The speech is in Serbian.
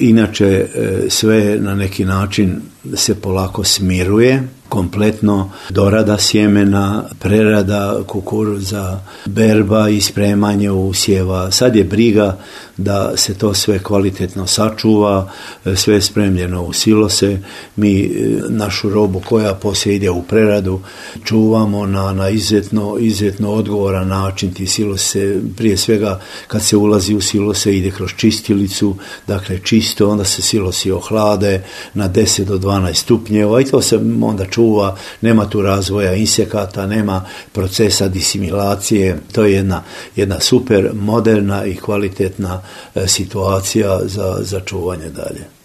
Inače, sve na neki način se polako smiruje, kompletno dorada sjemena, prerada kukuruza, berba i spremanje usjeva. Sad je briga da se to sve kvalitetno sačuva, sve je spremljeno u silose. Mi našu robu koja poslije ide u preradu čuvamo na izuzetno odgovoran način. Ti silose, prije svega kad se ulazi u silose, ide kroz čistilicu, dakle čisto, onda se silosi ohlade na 10 do 12 stupnjeva i to se onda čuva, nema tu razvoja insekata, nema procesa disimilacije. To je jedna super moderna i kvalitetna situacija za čuvanje dalje.